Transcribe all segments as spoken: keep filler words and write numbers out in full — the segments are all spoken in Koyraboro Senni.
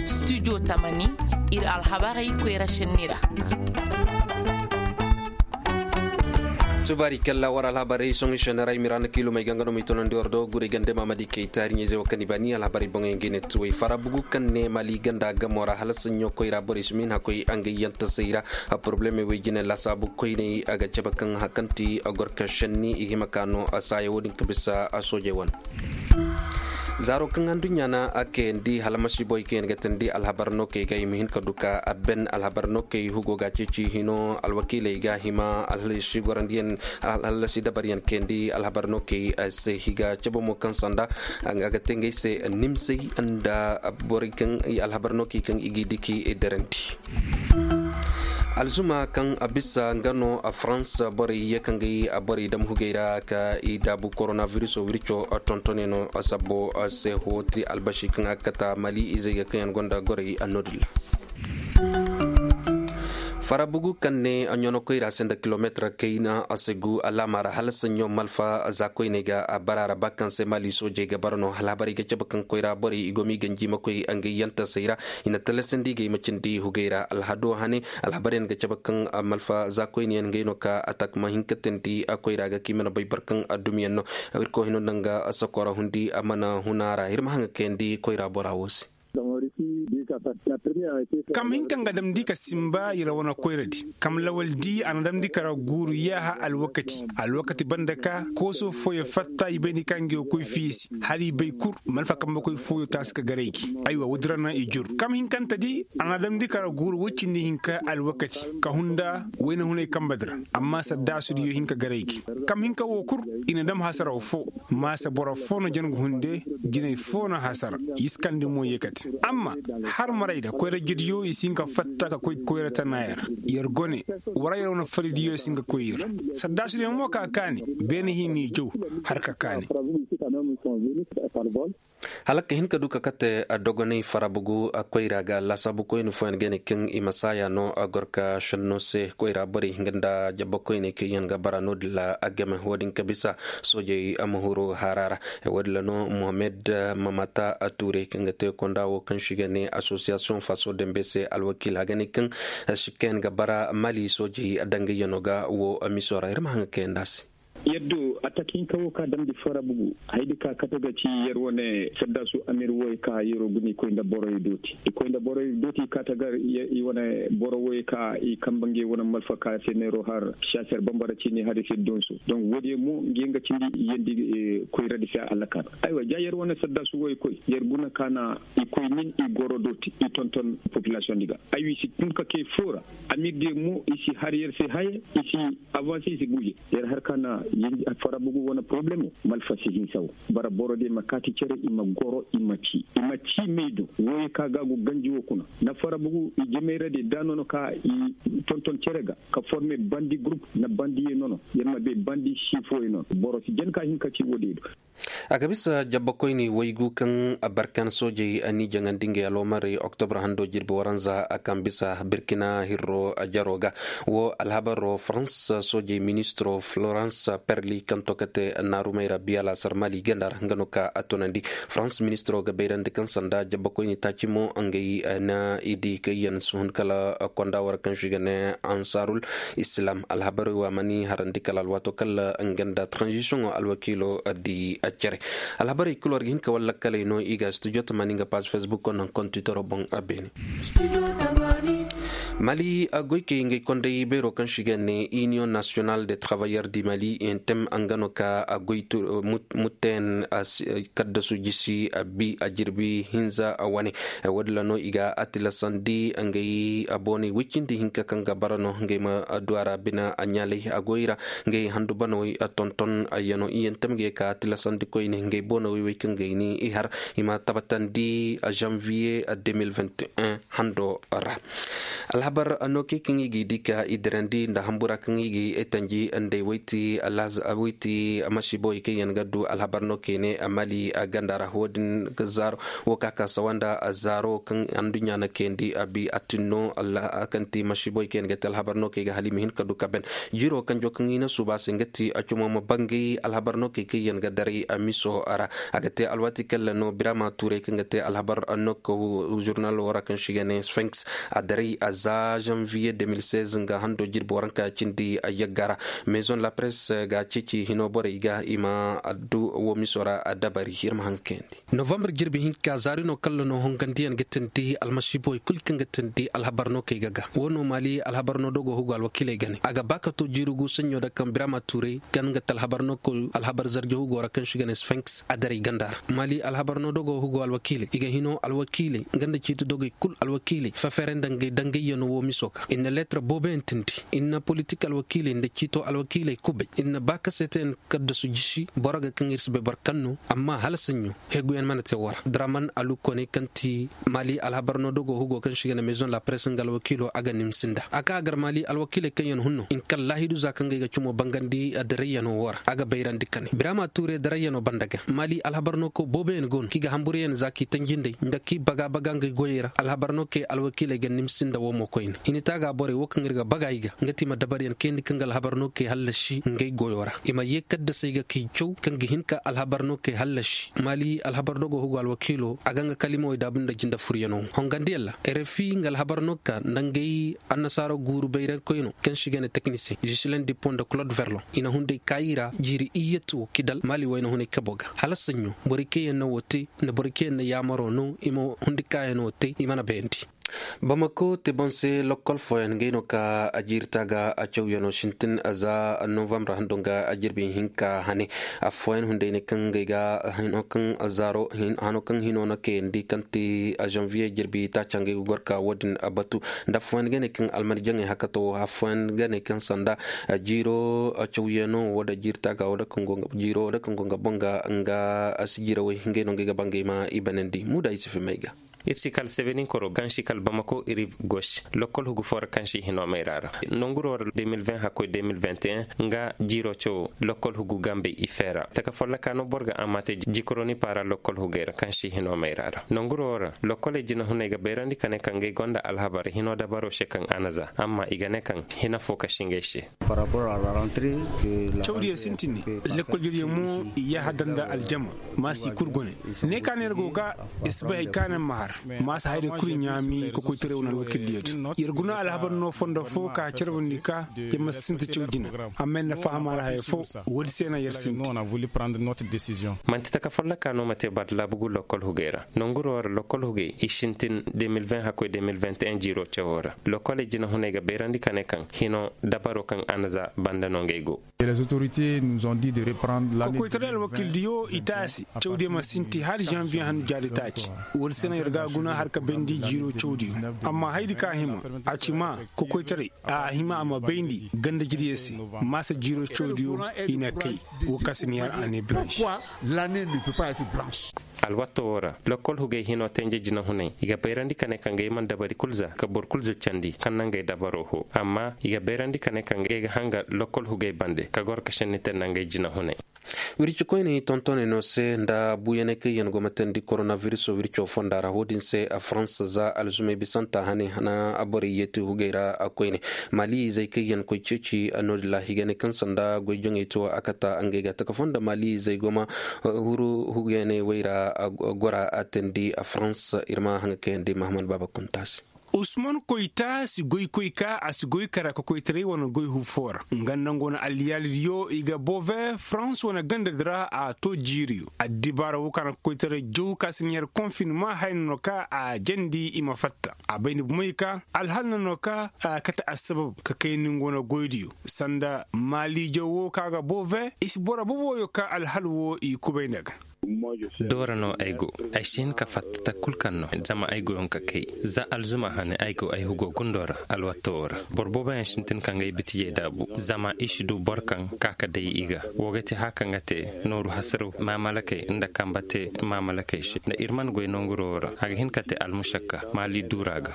Studio tamani, ir alhabarey koyra šenni ra. Tubaari kalla war alhabarey soŋi šenni ra i mira na kiilumey ga nga no ma i tonandi war do guray gande mamadi kay taari ɲayzey wo kaŋ i baani alhabarey boŋey ngey ne tuwey fara bugu kaŋ ne mali ganda gamo ra hala saɲɲo koyra borey si ma hin hakoy a nga yanta sayra. A porobulemey wey jine lasaabu koyney a ga cabe kaŋ hakanti a gor ka šenni i hima ka no a saaya wo-din ka bisa a soojey wane. Zaaro kaŋ anduɲɲa na a kayandi hala masiiboy kaŋ yaŋ ga tandi alhabar nookey ga i ma hin ka du ka a ben alhabar nookey hugo ga ceeci hino alwakiiley ga hima alhalasi gorandiyaŋ alhalasi dabaryaŋ kayandi alhabar nookey se i ga cabe mo kaŋ sanda a ga te ngey se nimsey nda borey kaŋ alhabar nookey kaŋ i g'i diki darandi. Alzuma kaŋ a bisa nga no a farans borey ye kaŋ ga i borey dam hugey ra ka i daabu koronaviruso wirco tontoney no sabbo se hooti albasi kaŋ a kata mali izey ga kaŋ yaŋ gonda gorey a noodin ra. Farabugu kaŋ ne a ɲonokoy ra se nda kilometir kayna a se gu alaama ra hala saɲɲo malfa za koyney ga a bara ra ba kaŋ se mali soojey ga bara no hala habarey ga cabe kaŋ koyra borey i go ma i ganji ma koy a nga i yantasey ra. I na talasandi ga i ma cindi hugey ra alhado hane. Alhabaryaŋ ga cabe kaŋ malfa za koyniyaŋ ngey no ka atak ma hin ka tandi a koyra ga kaŋ i mana bay boro kaŋ addumiyaŋ no. Irkoy hino nda nga sakora hundi a mana huna ra ir ma haŋ ga kayandi koyra bora wo se. Kam hin kaŋ ga damndi ka simba i ra wane koyradi kam lawaldi a na damndi ka ra guuru yaaha alwakati alwakati banda ka kooso fooyo fatta i bay ni kaŋ ga yo koy fiisi hala i bay kur malfa kambe koy fooyo taasi ka garay gi. Aywa woodi ra naŋ i jur kam hinkantadi a na damndi ka ra guuru woy cindi hinka alwakati ka hunda wayna hunay kambedi ra. Amma saddaasudiyo hin ka garay gi kam hinka wo kur i na dam hasaraw fo maasa boro fo na jangu hunde jinay fo na hasara. Yiskandi mo yeekate amma har maray da koyra jiryo i si hin ka fatta ka koy koyra tanaayo ra. Yer gone wara yer wane faridiyo si hin ka koy ir ra. Saddaasudiyo mo ka kaani beene hin ni jaw har ka kaani. Hala ka hin ka du ka kate dogonay farabugu koyra ga laasaabu koyni fooyaŋ ga ne kaŋ i ma saaya no a gor ka šenno se koyra borey nga nda jabba koyney kaŋ yaŋ ga bara no-din ra a game wo-din ka bisa soojey a ma huru haara ra. Wo-din ra no mohammed mamata tuurey kaŋ ga te konda wo kaŋ se i ga ne asosiyasiyoŋ faso dambe se alwakiila ga ne kaŋ sikka yaŋ ga bara mali soojey dangayyano ga wo miso ra ir ma haŋ ga kayandi a se. Yaddo atak hinka wo ka damndi farabugu haydi ka kate ga ci yer wane saddaasu amir wo i ka yeroo guna i koy nda boroyo dooti i koy nda boroyo dooti i ka tagar i wane boro wo i ka i kamba ngey wane malfa ka se neeroo har siyaaser bambara ciini hari se donso donk woodiyo mo ngey nga cindi yeendi koyradi se alakaana. Aywa ja yer wane saddaasu wo i koy yer guna ka na i koy nin i goro dooti i tonton populasiyoŋdi ga. Aywa i si tun ka kay foo ra amirdiyo mo i si har yer se haya i si avanse i si guuje. Yer har ka na farabugu wane poroblemo malfa si hinsa wo bara borodiyo ma kaati cere i ma goro i ma cii i ma cii may do wooyo ka ga go ganji wo kuna na farabugu i jemayradiyo da nono ka i tonton cere ga ka forme bandi gurup na bandiyo nono yer ma bay bandi sii fooyo nono boro si jen ka hin ka cii woodiyo do. A ga bisa jabbakoyni waygu kaŋ barkan soojey ni jaŋandi ngey aloomarey oktobra hando jirbi waranza a kaŋ bisa birkina hirro jaro ga. Wo alhabaro farans soojey ministiro florans perli kaŋ to kate naarumey ra biya laasar mali ganda ra nga no ka a tunandi. Farans ministiro ga bayrandi kaŋ sanda jabbakoyni taaci mo ngey na i di kayyan suhun kala konda war kaŋ se i ga ne ansarul islam alhabarey wa mani harandi kala alwaato kala nga nda transition alwakiilo di cere. Alhabarey kulu war ga hin ka walla kaley no i ga studio tamani nga page facebook ko naŋ kon twittero boŋ a beene. Mali goykey ngey kondey beero kaŋ se i ga ne union national de travailleur di mali intem nga no ka goy mutten kaddasu jisi a bi a jirbi hinza wane. Woodin ra no i ga a tilasandi ngey booney woy cindi hinka kaŋ ga bara no ngey ma du a ra bine a ɲaalay a goy ra. Ngey handu banawey tonton ayya no iyyante ma ga ye ka a tilasandi koyne ngey boonawey wey kaŋ ga ay ni i har i ma tabatandi zanviye deux mille vingt et un hando ra. Alhabar no kay kaŋ i ga i di ka i dirandi nda hambura kaŋ i ga i tanji nda ay wayti masiibawey kaŋ yaŋ ga du alhabar no kay ne mali ganda ra wo-din ga zaaro wo ka ka sawa nda zaaro kaŋ anduɲɲa na kayandi a bi a tin no kaŋ ti masiibawey kaŋ yaŋ ga te alhabar no kay ga hala i ma hin ka du ka ben. Jiiro kanjo kaŋ i na suuba se nga ti a cumo ma bangay alhabar no kay kaŋ yaŋ ga daray a miso ra. A ga te alwaati kaŋ ra no birama tuuray kaŋ ga te alhabar no ka zurnal wo ra kaŋ si ga ne sphinx a daray a za janvier deux mille seize nga hando jirbi waranka cindi a yagga ra. Maison la presse ga ceeci hino borey ga i ma addu wo miso ra a dabari ir ma haŋ ga kayandi. Novembre jirbi hinka zaari no kalla no hongandiyaŋ ga tindi almasiibowey kul kaŋ ga tindi alhabar no kay ga ga wo no maali alhabar no dogo hugu alwakiiley ga ne a ga ba ka to jiiri gu saɲɲo da kaŋ birama tuuray kaŋ ga te alhabar no koy alhabar zarje hugo ra kaŋ si ga ne sphinx a daray ganda ra maali alhabar no dogo hugo alwakiiley i ga hino alwakiiley nga nda ciiti dogey kul alwakiiley fefere nda ngey dangayyaŋo wo miso ga i na leetar booboyaŋ tindi i na politik alwakiiley nda ciito alwakiiley kubay i na ba ka seeteyaŋ kaddasu jisi boro ga kaŋ ir si bay boro kaŋ no amma hala saɲɲo heguyaŋ mana te wo ra draman alukkone kaŋ ti maali alhabar no dogo hugo kaŋ si ga ne maison la presse nga alwakiilo a ga nimsi nda a ka a gar maali alwakiiley kaŋ yaŋ hunno i na kallaahidu za kaŋ ga ay ga cumo bangandi darayyaŋo wo ra a ga bayrandi kane birama tuure darayyaŋo banda ga maali alhabar no kaŋ booboyaŋ go no kaŋ i ga hamburyaŋ za kaŋ i tanji nd'ey nda kaŋ i baga baga ngey goyey ra alhabar no kaŋ alwakiiley ga nimsi nda wo mo koyne i na taaga borey wo kaŋ ir ga baga i ga nga ti i ma dabaryaŋ kayandi kaŋ ga alhabar no kaŋ hallasi ngey goyo ra i ma ye kaddasey ga kaŋ i caw kaŋ ga hin ka alhabar no kay hallasi maali alhabar dogo hugu alwakiilo a ga nga kalimawey daabu nda jinde furyaŋo hongandiyaŋ ra rfi nga alhabar no ka nda ngey annasaara guuru bayray koyno kaŋ si ga ne teknisiyeŋ jisileŋ dippo nda claude verlon i na hunday kaayi ra jiiri iyyatu wo kidal maali wayna hunay kabo ga hala saɲɲo borey kaŋ yaŋ na wo te nda borey kaŋ yaŋ na yaamaro no i ma hundi kaayaŋo te i mana bayandi. Bamako te boŋ se lokkol fooyaŋ ngey no ka a jiiri taaga a cawyaŋo sintin za novambre hando nga a jirbi hinka hane. Affooyaŋ hunday ne kaŋ ngey ga hano kaŋ zaaro hano kaŋ hino na kayandi kaŋ ti janvier jirbi taaca ngey ga goro ka wo-din batu. Nda affooyaŋ ga ne kaŋ almani jaŋey hakato affooyaŋ ga ne kaŋ sanda jiiro cawyaŋo wo da jiiri taaga wo da kaŋ go nga boŋ ga nga sijirawey ngey no ngey ga ba ngey ma i banandi muuda i si fimay ga. Ir si kal sebeninkoroo kaŋ si kal bamako iri gosi lokkol hugu foo ra kaŋ si hinoo mayra ra. Nonguroo ra deux mille vingt hakkoy deux mille vingt et un nga jiiroo cawoo lokkol hugu gambey i feera taka follokaa no boro ga a ma te jikoroni paara lokkol hugey ra kaŋ si hinoo mayra ra nonguroo ra lokkoley jinahuney ga bayrandi ka ne kaŋ ngey gonda alhabar hinoo dabaroo se kaŋ a na za amma i ga ne kaŋ hina foo ka si ngey se. Cawdiyo sintin ne. Lekkol jodiyo mo i yaaha danda aljama. Ma si kul gone ne ka ne ir go ga i si bay hay ka ne ma har. Ma si hayday kul ɲaami ka koytaray wane alwakildiyo do ir guna alhabar no fondo fo ka carbandi ka ir ma sinti caw jina. Amma ir na faham a ra haya fo. Woodi se na ir sinti. Manti taka folloka no ma te bardalaabu gu lokkol hugey ra nonguroo ra lokkol hugey i sintin deux mille vingt hakkoy deux mille vingt et un jiiroo cawoo ra. Lokkoley jinahuney ga bayrandi ka ne kaŋ hino dabaro kaŋ a na za banda no ngey go. Kokoytaray alwakildiyo i taasi cawdiyo ma sinti hala janviye handu jaari taaci. Woodi se no ir ga a guna har ka bayndi jiiroo cawdiyo. Amma hayadi ka hima a ci ma kokoytaray a hima a ma bayndi ganda jirye se. Maasa jiiroo cawdiyo i na kay. Wo ka si ni har année blanche. Alwatto woo ra lokkol hugey hinoo tenje jinahuney i ga bayrandi ka ne kaŋ ngey mana dabari kul za ka boro kul za candi kaŋ na ngey dabaroo hoo amma i ga bayrandi ka ne kaŋ ngey ga hanga lokkol hugey bande ka goro ka senni te nda ngey jinahuney. Wirci koyney tontoney no se nda buuyaney kaŋ yaŋ go ma teendi koronavirisoo wircoo fonda ra woo din se a farans za alzumey bisanta hane na a borey yeeti hugey ra a koyne. Maali izey kaŋ yaŋ koy ceeci no- din ra i ga ne kaŋ sanda goy jaŋey to a kata ngey ga taka fonda maali izey go ma huru hugey ne wayra gora a teendi a farans. Ir ma haŋa kayandi mahaman baaba kunta se. Usman koyta si goy koy ka a si goy kara kokoytaray wane goy huufo ra nga nda nga wane alliyaalidiyo i ga bove farans wane gandadi ra a to jiiriyo addibaara woo ka na kokoytaray jaw ka si na yar konfinma haya na no ka a jandi i ma fatta. A bay ni bumey ka alhal na no ka a kate assabab ka kay ni nga wane goydiyo sanda maaliijo woo ka ga bove i si boro boboyo ka alhal woo i kubay nda ga. Doora no ay go. Ay si hin ka fatta takul kaŋ no zama ay goyoŋ ka kay. Za alzuma hane ay go ay hugo gundo ra alwatto ra. Boro booboyaŋ sintin ka ngey bitijey daabu zama i si du boro kaŋ ka ka day i ga. Wo ga ti haka nga te nooru hasaraw maamalakey nda kamba te maamalakey se nda ir mana goy nanguro ra a ga hin ka te almušakka maali duura ga.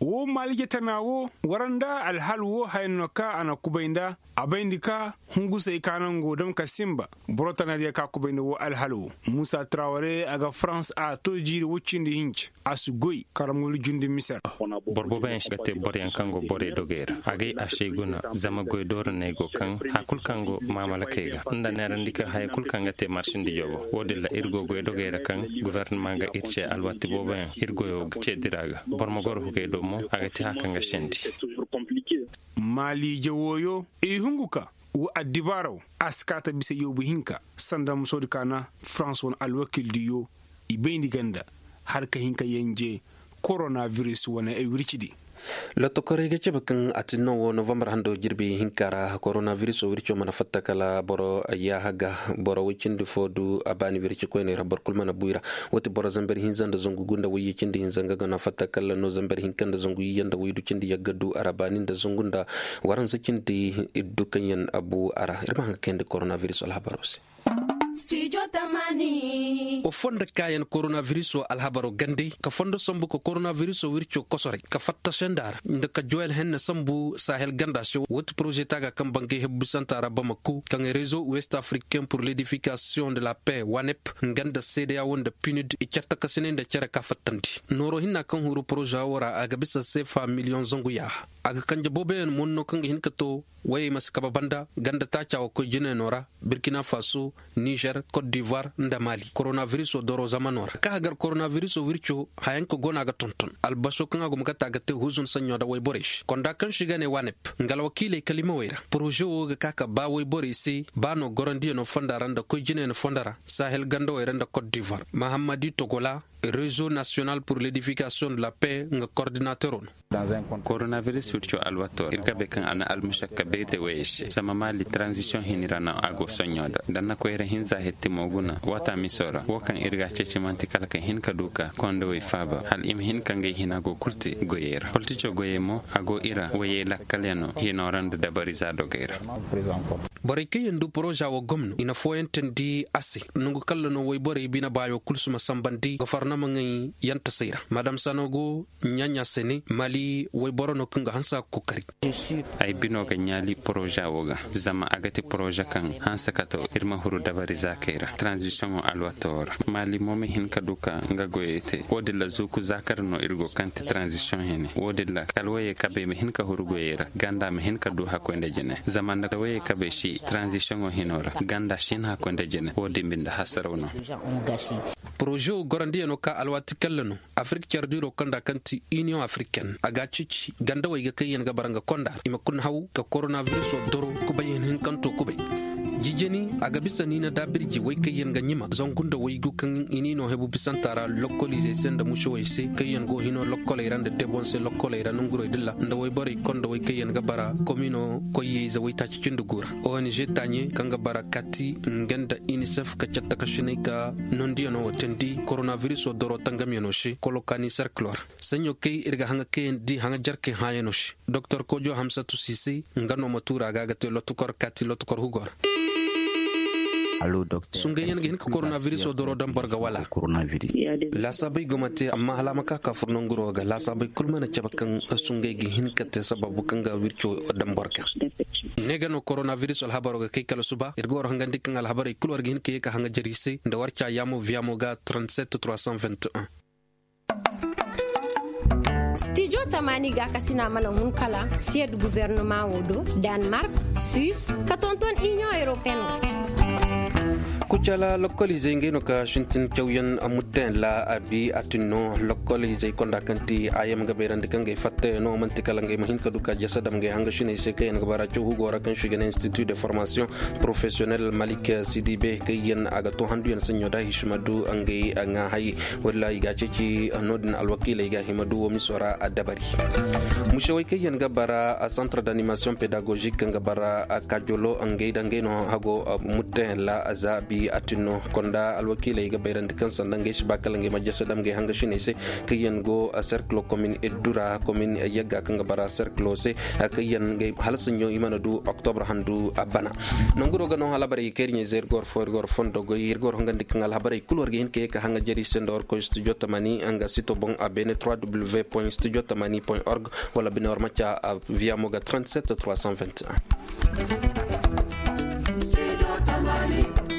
Woo maaliije tana woo, wara nda alhal woo haya no ka a na kubay nda. A bayndi ka hungusey ka naŋ go dam ka sinba. Boro tanadiyo ka kubay nda woo alhal woo. Muusa traware a ga farans a to jiiri woy cindi hinci. A si goy karamul jundi misar. Boro booboyaŋ si ga te boroyaŋ kaŋ go borey dogey ra a gay a se guna. Zama goy dooro no ay go kaŋ haya kul kaŋ go maamalakey ga nda neerandi kaŋ haya kul kaŋ ga te marsindi joobo. Woo din ra ir go goy dogey ra kaŋ gofornama ga ir ce alwati booboyaŋ ir goyo ga ce dira ga. Boro ma goro hugey do mo a ga te haya kaŋ ga sendi. Maaliije wooyo i hungu ka woo addibaaraw a si kaata bisa yoobu hinka. Sanda musoodi ka na farans wane alwakildiyo i bayndi ganda har ka hin ka yanje koronabiris wane ay wircidi. Lottokorey ga cabe kaŋ a tin no wo novambar hando jirbi hinka ra koronabiris wo wirco mana fatta kala boro yaaha ga boro woy cindi fo du a baani wirci koyney ra boro kul mana buy ra. Woo ti boro zamber hinza nda zangu gu nda woyye cindi hinza nga ga na fatta kala no zamber hinka nda zangu yiyya nda woy du cindi yagga du a ra baani nda zangu nda waransa cindi iddu kaŋ yaŋ a bu a ra ir ma haŋ ga kayandi koronabiris alhabaro se. Wa fondo kaayaŋ koronabiriso alhabaro gandey ka fondo sambu ka koronabiriso wirco kosoray ka fatta senda ra nda ka joyal henne sambu sahel ganda se woo ti poroze taaga kaŋ bangay hebbisanta ra bamako kaŋ rezo west africain pur ledifikasiyoŋ de la paix wanep nga nda seedeya woo nda pinid i cattakasinay nda cere ka fattandi. Nooro hinna kaŋ huru poroze woo ra a ga bisa seefa miliyoŋ zangu yaaha. A ga kanje booboyaŋ monno kaŋ ga hin ka to wayey ma si kabe banda ganda taaca wa koy jinayno ra, burkina faso, nizer, kot divoir, nda mali koronabiriso doro zamano ra ka hagar koronabiriso wirco. Hayaŋ ka go no a ga tonton albaso kaŋ a guma ga te a ga te huzun saɲɲo nda wayborey se konda kaŋ se i ga ne wanep nga alwakiiley kalimawey ra poroze wo ga ka ka ba wayborey se ba no gorandiyaŋo fonda ra nda koy jinayno fonda ra sahel gandawey ra nda kot divoir mahammadi togola, rezo nasiyonal pur ledifikasiyoŋ de la paix nga kordinateroo no. Koronabiris wirco alwato ir ga bay kaŋ a na almušakka bay te wayey se zama maali taranzisiyoŋ hini ra no a go soɲɲo nda nda na koyra hinza hettimo guna waata miso ra wo kaŋ ir ga a ceeci man'ti kala ka hin ka du ka kondowey faaba hala i ma hin ka ngey hina go kul te goyey ra politico goyey mo a go i ra wayey lakkalyaŋo hino ra nda dabariza dogey ra. Borey kaŋ yaŋ du poroza wo gomno i na fooyantandi a se. Nangu kalla no woyborey bine baayo kul si ma sambandi gofornama ŋay yantasey ra madam sano go ɲaaɲa se ne mali woyboro no kaŋ ga hanse a ga kookari. Ay bino ga ɲaali poroza wo ga zama a ga ti poroza kaŋ hanse kato ir ma huru dabari zaakey ra taranzisiyoŋo alwato wo ra mali mo ma hin ka du ka nga goyey te wo- din ra zuuku zaakar no ir go kaŋ ti taranzisiyoŋ hene wo- din ra kala woyey kabey ma hin ka huru goyey ra ganda ma hin ka du hakkoy nda jine zama nda woyey kabey si taranzisiyoŋo hino ra ganda si hin hakkoy nda jine wo- din binde hasaraw no. Poroze wo gorandiyaŋo ka alwaati kalla no afirik care diiro kaŋ nda kaŋ ti iniyoŋ afiriken a ga a ceeci gandawey ga kaŋ yaŋ ga bara nga konda ra i ma kuna haw ka koronabiriso doro kubay hinhinkanto kubay. Jijani a ga bisa niina daabirji wey kaŋ yaŋ ga ɲima zangu nda waygu kaŋ i n'i no hebu bisanta ra lokkolizey se nda musowey se kaŋ yaŋ go hino lokkoley ra nda tebonse lokkoley ra nongurey dilla nda wayborey konda wey kaŋ yaŋ ga bara komino koyye ize waytaaci cindi gu ra. Ong taaɲe kaŋ ga bara kati nga nda inisef ka cattakasiney ka nondiyaŋo wo teendi koronabiriso doro tangamyaŋo se kolokani serkilo ra. Saɲɲo kay ir ga haŋa kayandi haŋa jarkey hãayaŋo se doktor kojo hamsatu sise nga no ma tuura ga a ga te lotukor kaati lotukor hugo ra. Sungayyaŋ ga hin ka koronabiriso doro daŋ boro ga wala? Laasaabey go ma te amma hala a ma ka ka fur nanguro ga laasaabey kul mana cabe kaŋ sungay ga hin ka te sababu kaŋ ga wirco daŋ boro ga. Ne ga no koronabiriso alhabaro ga kay kala suba ir ga war hangandi kaŋ alhabarey kul war ga hin ka ye ka haŋa jari se nda war ca yaamo viyaamo ga trente-sept trois cent vingt et un. Stijo tamaani gaakasina mana hun kala siyed guvernama wo do, danmark, suis, ka tonton inion europeen. Kucala lokkolizey ngey no ka sintin cawyaŋ mutteyaŋ la a bi a tin no lokkolizey konda kaŋ ti a yam ga bayrandi kaŋ gay fattayaŋo man'ti kala ngey ma hin ka du ka jasa dam ngey hangasiney se kaŋ yaŋ ga bara caw hugo ra kaŋ si ga ne institut de formation professionel malik sidibe kaŋ yaŋ a ga to handuyaŋ saɲɲo da hisi ma du ngey ŋaa hayi. Walla i ga a ceeci no- din alwakiiley ga hima du wo miso ra a dabari. Musewey kaŋ yaŋ ga bara centre d'animation pédagogique kaŋ ga bara kajolo ngey da ngey no hago mutteyaŋ ra za bi. Atinno konda alwakiiley ga bayrandi kaŋ sanda ngey si ba kala ngey ma jese dam ngey hanga siney se kaŋ yaŋ go serkilo komin eddura komin yagga kaŋ ga bara serkilo se kaŋ yaŋ ngey hala saɲɲo i mana du oktobre handu a bana. Nanguro ga no alhabarey ga kay ir ɲey ze ir ga war fo ir ga war fondo goy ir ga war hongandi kaŋ alhabarey kulu war ga hin ka ye ka hanga jari se nda war koy studio tamani nga sito boŋ a beene trois w point studio tamani point org wala bine war ma ca via moga trente-sept trois cent vingt et un.